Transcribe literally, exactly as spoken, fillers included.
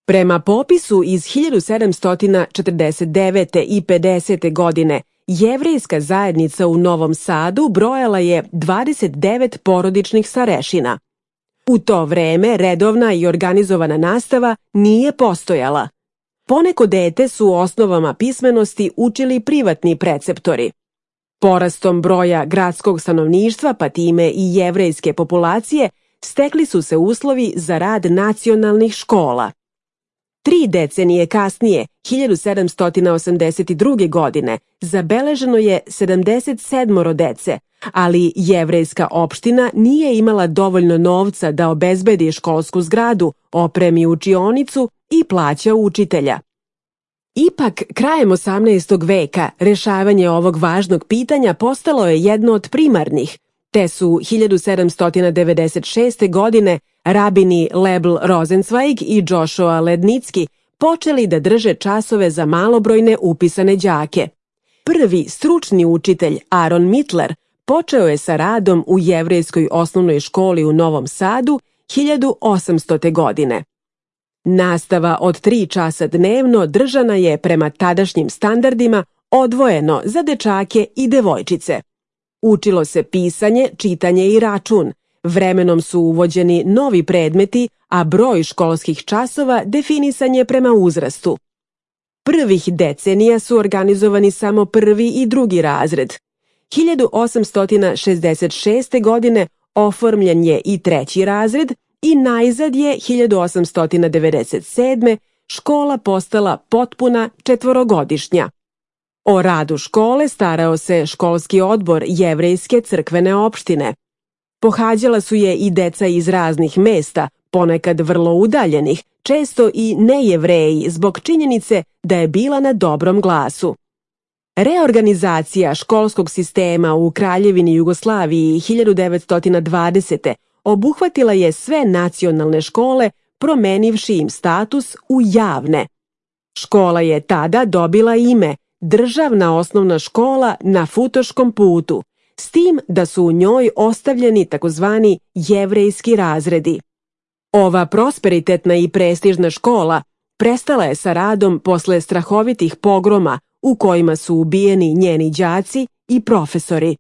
Prema popisu iz hiljadu sedamsto četrdeset devete. i pedesete. godine, jevrejska zajednica u Novom Sadu brojala je dvadeset devet porodičnih starešina. U to vreme redovna i organizovana nastava nije postojala. Poneko dete su u osnovama pismenosti učili privatni preceptori. Porastom broja gradskog stanovništva, pa time i jevrejske populacije, stekli su se uslovi za rad nacionalnih škola. Tri decenije kasnije, hiljadu sedamsto osamdeset druge. godine, zabeleženo je sedamdeset sedam dece, ali jevrejska opština nije imala dovoljno novca da obezbedi školsku zgradu, opremi učionicu i plaća učitelja. Ipak, krajem osamnaestog veka, rešavanje ovog važnog pitanja postalo je jedno od primarnih, te su hiljadu sedamsto devedeset šeste. godine rabini Lebl Rosenzweig i Joshua Lednicki počeli da drže časove za malobrojne upisane đake. Prvi stručni učitelj, Aaron Mittler, počeo je sa radom u jevrejskoj osnovnoj školi u Novom Sadu hiljadu osamstote. godine. Nastava od tri časa dnevno držana je prema tadašnjim standardima odvojeno za dečake i devojčice. Učilo se pisanje, čitanje i račun. Vremenom su uvođeni novi predmeti, a broj školskih časova definisan je prema uzrastu. Prvih decenija su organizovani samo prvi i drugi razred. hiljadu osamsto šezdeset šeste. godine oformljen je i treći razred i najzad je hiljadu osamsto devedeset sedme. škola postala potpuna četvorogodišnja. O radu škole starao se školski odbor jevrejske crkvene opštine. Pohađala su je i deca iz raznih mesta, ponekad vrlo udaljenih, često i nejevreji zbog činjenice da je bila na dobrom glasu. Reorganizacija školskog sistema u Kraljevini Jugoslaviji hiljadu devetsto dvadesete. obuhvatila je sve nacionalne škole, promenivši im status u javne. Škola je tada dobila ime Državna osnovna škola na Futoškom putu, s tim da su u njoj ostavljeni takozvani jevrejski razredi. Ova prosperitetna i prestižna škola prestala je sa radom posle strahovitih pogroma u kojima su ubijeni njeni đaci i profesori.